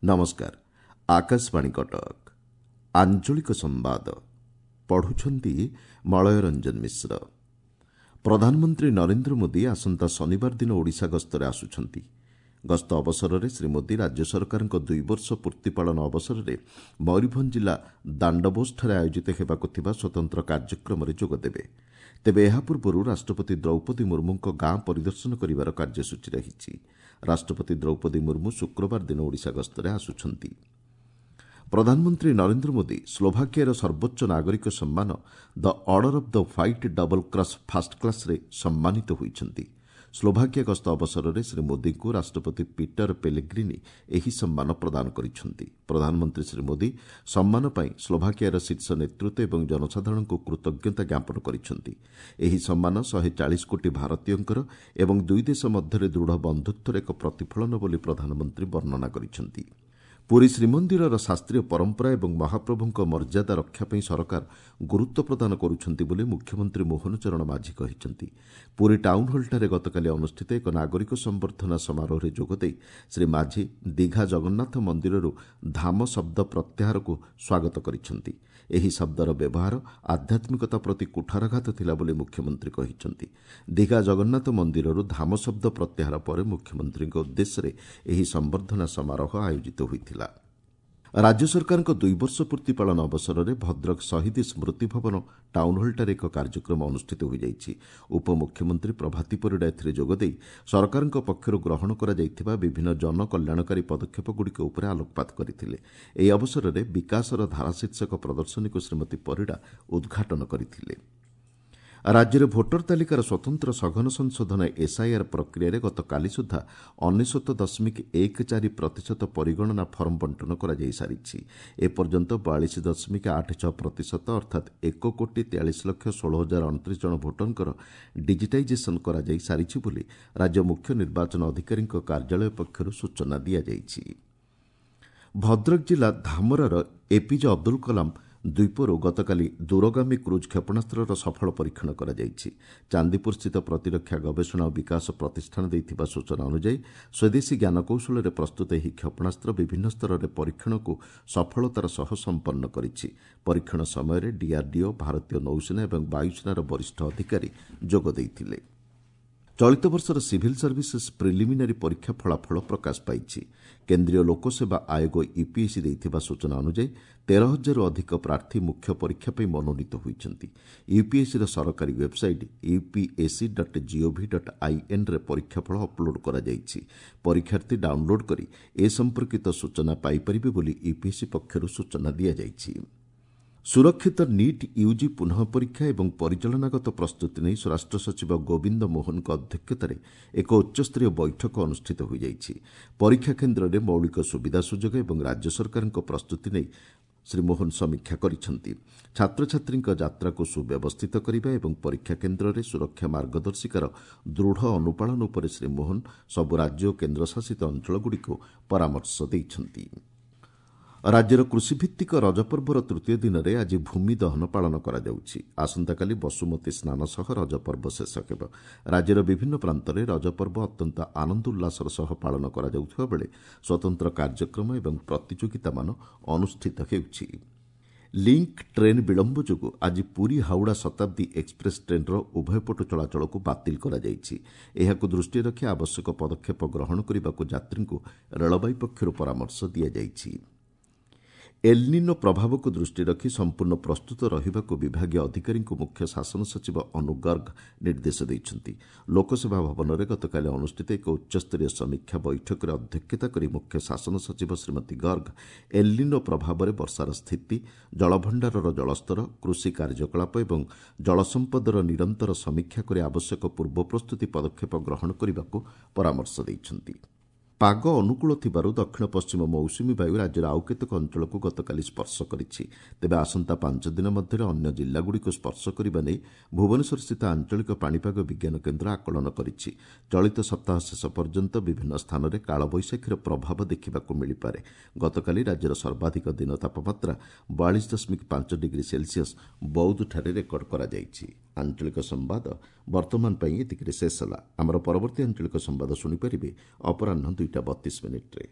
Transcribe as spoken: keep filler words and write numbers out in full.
ନମସ୍କାର ଆକାଶବାଣୀ କଟକ ଆଞ୍ଚଳିକ ସମ୍ବାଦ ପଢୁଛନ୍ତି ମଳୟ ରଞ୍ଜନ ମିଶ୍ର ପ୍ରଧାନମନ୍ତ୍ରୀ ନରେନ୍ଦ୍ର ମୋଦି ଆସନ୍ତା ଶନିବାର ଦିନ ଓଡ଼ିଶା ଗସ୍ତରେ ଆସୁଛନ୍ତି ଗସ୍ତ ଅବସରରେ ଶ୍ରୀ ମୋଦି ରାଜ୍ୟ ସରକାରଙ୍କ ଦୁଇ ବର୍ଷ ପୂର୍ତ୍ତି ପାଳନ ଅବସରରେ ମୟୂରଭଞ୍ଜ ଜିଲ୍ଲା ଦାଣ୍ଡବୋସଠାରେ ଆୟୋଜିତ ହେବାକୁ ଥିବା ସ୍ୱତନ୍ତ୍ର କାର୍ଯ୍ୟକ୍ରମରେ ଯୋଗଦେବେ ତେବେ ଏହା ପୂର୍ବରୁ ରାଷ୍ଟ୍ରପତି ଦ୍ରୌପଦୀ ମୁର୍ମୁଙ୍କ ଗାଁ ପରିଦର୍ଶନ କରିବାର କାର୍ଯ୍ୟସୂଚୀ ରହିଛି ରାଷ୍ଟ୍ରପତି ଦ୍ରୌପଦୀ ମୁର୍ମୁ ଶୁକ୍ରବାର ଦିନ ଓଡ଼ିଶା ଗସ୍ତରେ ଆସୁଛନ୍ତି ପ୍ରଧାନମନ୍ତ୍ରୀ ନରେନ୍ଦ୍ର ମୋଦି ସ୍ଲୋଭାକିଆର ସର୍ବୋଚ୍ଚ ନାଗରିକ ସମ୍ମାନ the Order of the White Double Cross First କ୍ଲାସ୍ରେ ସମ୍ମାନିତ ହୋଇଛନ୍ତି ସ୍ଲୋଭାକିଆ ଗସ୍ତ ଅବସରରେ ଶ୍ରୀ ମୋଦିଙ୍କୁ ରାଷ୍ଟ୍ରପତି ପିଟର ପେଲେଗ୍ରିନି ଏହି ସମ୍ମାନ ପ୍ରଦାନ କରିଛନ୍ତି ପ୍ରଧାନମନ୍ତ୍ରୀ ଶ୍ରୀ ମୋଦି ସମ୍ମାନ ପାଇଁ ସ୍ଲୋଭାକିଆର ଶୀର୍ଷ ନେତୃତ୍ୱ ଏବଂ ଜନସାଧାରଣଙ୍କୁ କୃତଜ୍ଞତା ଜ୍ଞାପନ କରିଛନ୍ତି ଏହି ସମ୍ମାନ ଶହେ ଚାଳିଶ କୋଟି ଭାରତୀୟଙ୍କର ଏବଂ ଦୁଇ ଦେଶ ମଧ୍ୟରେ ଦୃଢ଼ ବନ୍ଧୁତ୍ୱର ଏକ ପ୍ରତିଫଳନ ବୋଲି ପ୍ରଧାନମନ୍ତ୍ରୀ ବର୍ଣ୍ଣନା କରିଛନ୍ତି ପୁରୀ ଶ୍ରୀମନ୍ଦିରର ଶାସ୍ତ୍ରୀୟ ପରମ୍ପରା ଏବଂ ମହାପ୍ରଭୁଙ୍କ ମର୍ଯ୍ୟାଦା ରକ୍ଷା ପାଇଁ ସରକାର ଗୁରୁତ୍ୱ ପ୍ରଦାନ କରୁଛନ୍ତି ବୋଲି ମୁଖ୍ୟମନ୍ତ୍ରୀ ମୋହନ ଚରଣ ମାଝୀ କହିଛନ୍ତି ପୁରୀ ଟାଉନ୍ହଲ୍ଠାରେ ଗତକାଲି ଅନୁଷ୍ଠିତ ଏକ ନାଗରିକ ସମ୍ବର୍ଦ୍ଧନା ସମାରୋହରେ ଯୋଗଦେଇ ଶ୍ରୀ ମାଝୀ ଦୀଘା ଜଗନ୍ନାଥ ମନ୍ଦିରରୁ ଧାମ ଶବ୍ଦ ପ୍ରତ୍ୟାହାରକୁ ସ୍ୱାଗତ କରିଛନ୍ତି ଏହି ଶବ୍ଦର ବ୍ୟବହାର ଆଧ୍ୟାତ୍ମିକତା ପ୍ରତି କୁଠାରଘାତ ଥିଲା ବୋଲି ମୁଖ୍ୟମନ୍ତ୍ରୀ କହିଛନ୍ତି ଦୀଘା ଜଗନ୍ନାଥ ମନ୍ଦିରରୁ ଧାମ ଶବ୍ଦ ପ୍ରତ୍ୟାହାର ପରେ ମୁଖ୍ୟମନ୍ତ୍ରୀଙ୍କ ଉଦ୍ଦେଶ୍ୟରେ ଏହି ସମ୍ବର୍ଦ୍ଧନା ସମାରୋହ ଆୟୋଜିତ ହୋଇଥିଲା ରାଜ୍ୟ ସରକାରଙ୍କ ଦୁଇ ବର୍ଷ ପୂର୍ତ୍ତି ପାଳନ ଅବସରରେ ଭଦ୍ରକ ଶହୀଦ ସ୍ମୃତି ଭବନ ଟାଉନ୍ହଲ୍ଠାରେ ଏକ କାର୍ଯ୍ୟକ୍ରମ ଅନୁଷ୍ଠିତ ହୋଇଯାଇଛି ଉପମୁଖ୍ୟମନ୍ତ୍ରୀ ପ୍ରଭାତୀ ପରିଡ଼ା ଏଥିରେ ଯୋଗଦେଇ ସରକାରଙ୍କ ପକ୍ଷରୁ ଗ୍ରହଣ କରାଯାଇଥିବା ବିଭିନ୍ନ ଜନକଲ୍ୟାଣକାରୀ ପଦକ୍ଷେପଗୁଡ଼ିକ ଉପରେ ଆଲୋକପାତ କରିଥିଲେ ଏହି ଅବସରରେ ବିକାଶର ଧାରା ଶୀର୍ଷକ ପ୍ରଦର୍ଶନୀକୁ ଶ୍ରୀମତୀ ପରିଡ଼ା ଉଦ୍ଘାଟନ କରିଥିଲେ ରାଜ୍ୟରେ ଭୋଟର ତାଲିକାର ସ୍ୱତନ୍ତ୍ର ସଘନ ସଂଶୋଧନ ଏସ୍ଆଇଆର୍ ପ୍ରକ୍ରିୟାରେ ଗତକାଲି ସୁଦ୍ଧା ଅନେଶ୍ୱତ ଦଶମିକ ଏକ ଚାରି ପ୍ରତିଶତ ପରିଗଣନା ଫର୍ମ ବଣ୍ଟନ କରାଯାଇସାରିଛି ଏପର୍ଯ୍ୟନ୍ତ ବୟାଳିଶ ଦଶମିକ ଆଠ ଛଅ ପ୍ରତିଶତ ଅର୍ଥାତ୍ ଏକ କୋଟି ତେୟାଳିଶ ଲକ୍ଷ ଷୋହଳ ହଜାର ଅଣତିରିଶ ଜଣ ଭୋଟରଙ୍କର ଡିଜିଟାଇଜେସନ୍ କରାଯାଇସାରିଛି ବୋଲି ରାଜ୍ୟ ମୁଖ୍ୟ ନିର୍ବାଚନ ଅଧିକାରୀଙ୍କ କାର୍ଯ୍ୟାଳୟ ପକ୍ଷରୁ ସୂଚନା ଦିଆଯାଇଛି ଭଦ୍ରକ ଜିଲ୍ଲା ଧାମରାର ଏପିଜେ ଅବଦୁଲ କଲାମ ଦ୍ୱୀପରୁ ଗତକାଲି ଦୂରଗାମୀ କ୍ରୁଜ୍ କ୍ଷେପଣାସ୍ତ୍ରର ସଫଳ ପରୀକ୍ଷଣ କରାଯାଇଛି ଚାନ୍ଦିପୁରସ୍ଥିତ ପ୍ରତିରକ୍ଷା ଗବେଷଣା ଓ ବିକାଶ ପ୍ରତିଷ୍ଠାନ ଦେଇଥିବା ସୂଚନା ଅନୁଯାୟୀ ସ୍ୱଦେଶୀ ଜ୍ଞାନକୌଶଳରେ ପ୍ରସ୍ତୁତ ଏହି କ୍ଷେପଣାସ୍ତ୍ର ବିଭିନ୍ନ ସ୍ତରରେ ପରୀକ୍ଷଣକୁ ସଫଳତାର ସହ ସମ୍ପନ୍ନ କରିଛି ପରୀକ୍ଷଣ ସମୟରେ ଡିଆର୍ଡିଓ ଭାରତୀୟ ନୌସେନା ଏବଂ ବାୟୁସେନାର ବରିଷ୍ଠ ଅଧିକାରୀ ଯୋଗ ଦେଇଥିଲେ ଚଳିତ ବର୍ଷର ସିଭିଲ୍ ସର୍ଭିସେସ୍ ପ୍ରିଲିମିନାରୀ ପରୀକ୍ଷା ଫଳାଫଳ ପ୍ରକାଶ ପାଇଛି କେନ୍ଦ୍ରୀୟ ଲୋକସେବା ଆୟୋଗ ୟୁପିଏସ୍ସି ଦେଇଥିବା ସୂଚନା ଅନୁଯାୟୀ ତେର ହଜାରରୁ ଅଧିକ ପ୍ରାର୍ଥୀ ମୁଖ୍ୟ ପରୀକ୍ଷା ପାଇଁ ମନୋନୀତ ହୋଇଛନ୍ତି ୟୁପିଏସ୍ସିର ସରକାରୀ website UPSC dot G O V dot ଆଇଏନ୍ରେ ପରୀକ୍ଷାଫଳ ଅପଲୋଡ୍ କରାଯାଇଛି ପରୀକ୍ଷାର୍ଥୀ ଡାଉନ୍ଲୋଡ୍ କରି ଏ ସମ୍ପର୍କିତ ସୂଚନା ପାଇପାରିବେ ବୋଲି ୟୁପିଏସ୍ସି ପକ୍ଷରୁ ସୂଚନା ଦିଆଯାଇଛି ସୁରକ୍ଷିତ ନିଟ୍ ୟୁଜି ପୁନଃ ପରୀକ୍ଷା ଏବଂ ପରିଚାଳନାଗତ ପ୍ରସ୍ତୁତି ନେଇ ସ୍ୱରାଷ୍ଟ୍ର ସଚିବ ଗୋବିନ୍ଦ ମୋହନଙ୍କ ଅଧ୍ୟକ୍ଷତାରେ ଏକ ଉଚ୍ଚସ୍ତରୀୟ ବୈଠକ ଅନୁଷ୍ଠିତ ହୋଇଯାଇଛି ପରୀକ୍ଷା କେନ୍ଦ୍ରରେ ମୌଳିକ ସୁବିଧା ସୁଯୋଗ ଏବଂ ରାଜ୍ୟ ସରକାରଙ୍କ ପ୍ରସ୍ତୁତି ନେଇ ଶ୍ରୀ ମୋହନ ସମୀକ୍ଷା କରିଛନ୍ତି ଛାତ୍ରଛାତ୍ରୀଙ୍କ ଯାତ୍ରାକୁ ସୁବ୍ୟବସ୍ଥିତ କରିବା ଏବଂ ପରୀକ୍ଷା କେନ୍ଦ୍ରରେ ସୁରକ୍ଷା ମାର୍ଗଦର୍ଶିକାର ଦୃଢ଼ ଅନୁପାଳନ ଉପରେ ଶ୍ରୀ ମୋହନ ସବୁ ରାଜ୍ୟ ଓ କେନ୍ଦ୍ରଶାସିତ ଅଞ୍ଚଳଗୁଡ଼ିକୁ ପରାମର୍ଶ ଦେଇଛନ୍ତି ରାଜ୍ୟର କୃଷିଭିତ୍ତିକ ରଜପର୍ବର ତୃତୀୟ ଦିନରେ ଆଜି ଭୂମି ଦହନ ପାଳନ କରାଯାଉଛି ଆସନ୍ତାକାଲି ବସୁମତୀ ସ୍ନାନ ସହ ରଜପର୍ବ ଶେଷ ହେବ ରାଜ୍ୟର ବିଭିନ୍ନ ପ୍ରାନ୍ତରେ ରଜପର୍ବ ଅତ୍ୟନ୍ତ ଆନନ୍ଦ ଉଲ୍ଲାସର ସହ ପାଳନ କରାଯାଉଥିବା ବେଳେ ସ୍ୱତନ୍ତ୍ର କାର୍ଯ୍ୟକ୍ରମ ଏବଂ ପ୍ରତିଯୋଗିତାମାନ ଅନୁଷ୍ଠିତ ହେଉଛି ଲିଙ୍କ୍ ଟ୍ରେନ୍ ବିଳମ୍ବ ଯୋଗୁଁ ଆଜି ପୁରୀ ହାଉଡ଼ା ଶତାବ୍ଦୀ ଏକ୍ସପ୍ରେସ୍ ଟ୍ରେନ୍ର ଉଭୟ ପଟୁ ଚଳାଚଳକୁ ବାତିଲ କରାଯାଇଛି ଏହାକୁ ଦୃଷ୍ଟିରେ ରଖି ଆବଶ୍ୟକ ପଦକ୍ଷେପ ଗ୍ରହଣ କରିବାକୁ ଯାତ୍ରୀଙ୍କୁ ରେଳବାଇ ପକ୍ଷରୁ ପରାମର୍ଶ ଦିଆଯାଇଛି ଏଲ୍ନିନୋ ପ୍ରଭାବକୁ ଦୃଷ୍ଟିରେ ରଖି ସମ୍ପୂର୍ଣ୍ଣ ପ୍ରସ୍ତୁତ ରହିବାକୁ ବିଭାଗୀୟ ଅଧିକାରୀଙ୍କୁ ମୁଖ୍ୟ ଶାସନ ସଚିବ ଅନୁ ଗର୍ଗ ନିର୍ଦ୍ଦେଶ ଦେଇଛନ୍ତି ଲୋକସେବା ଭବନରେ ଗତକାଲି ଅନୁଷ୍ଠିତ ଏକ ଉଚ୍ଚସ୍ତରୀୟ ସମୀକ୍ଷା ବୈଠକରେ ଅଧ୍ୟକ୍ଷତା କରି ମୁଖ୍ୟ ଶାସନ ସଚିବ ଶ୍ରୀମତୀ ଗର୍ଗ ଏଲ୍ନିନୋ ପ୍ରଭାବରେ ବର୍ଷାର ସ୍ଥିତି ଜଳଭଣ୍ଡାରର ଜଳସ୍ତର କୃଷି କାର୍ଯ୍ୟକଳାପ ଏବଂ ଜଳସମ୍ପଦର ନିରନ୍ତର ସମୀକ୍ଷା କରି ଆବଶ୍ୟକ ପୂର୍ବ ପ୍ରସ୍ତୁତି ପଦକ୍ଷେପ ଗ୍ରହଣ କରିବାକୁ ପରାମର୍ଶ ଦେଇଛନ୍ତି ପାଗ ଅନୁକୂଳ ଥିବାରୁ ଦକ୍ଷିଣ ପଶ୍ଚିମ ମୌସୁମୀ ବାୟୁ ରାଜ୍ୟର ଆଉ କେତେକ ଅଞ୍ଚଳକୁ ଗତକାଲି ସ୍ପର୍ଶ କରିଛି। ତେବେ ଆସନ୍ତା ପାଞ୍ଚ ଦିନ ମଧ୍ୟରେ ଅନ୍ୟ ଜିଲ୍ଲାଗୁଡ଼ିକୁ ସ୍ପର୍ଶ କରିବା ନେଇ ଭୁବନେଶ୍ୱରସ୍ଥିତ ଆଞ୍ଚଳିକ ପାଣିପାଗ ବିଜ୍ଞାନ କେନ୍ଦ୍ର ଆକଳନ କରିଛି। ଚଳିତ ସପ୍ତାହ ଶେଷ ପର୍ଯ୍ୟନ୍ତ ବିଭିନ୍ନ ସ୍ଥାନରେ କାଳବୈଶାଖୀର ପ୍ରଭାବ ଦେଖିବାକୁ ମିଳିପାରେ। ଗତକାଲି ରାଜ୍ୟର ସର୍ବାଧିକ ଦିନ ତାପମାତ୍ରା ବୟାଳିଶ ଦଶମିକ ପାଞ୍ଚ ଡିଗ୍ରୀ ସେଲ୍ସିୟସ୍ ବୌଦ୍ଧଠାରେ ରେକର୍ଡ କରାଯାଇଛି। ଆଞ୍ଚଳିକ ସମ୍ବାଦ ବର୍ତ୍ତମାନ ପାଇଁ ଏତିକିରେ ଶେଷ ହେଲା। ଆମର ପରବର୍ତ୍ତୀ ଆଞ୍ଚଳିକ ସମ୍ବାଦ ଶୁଣିପାରିବେ ଅପରାହ୍ନ ଦୁଇଟା ବତିଶ ମିନିଟ୍ରେ।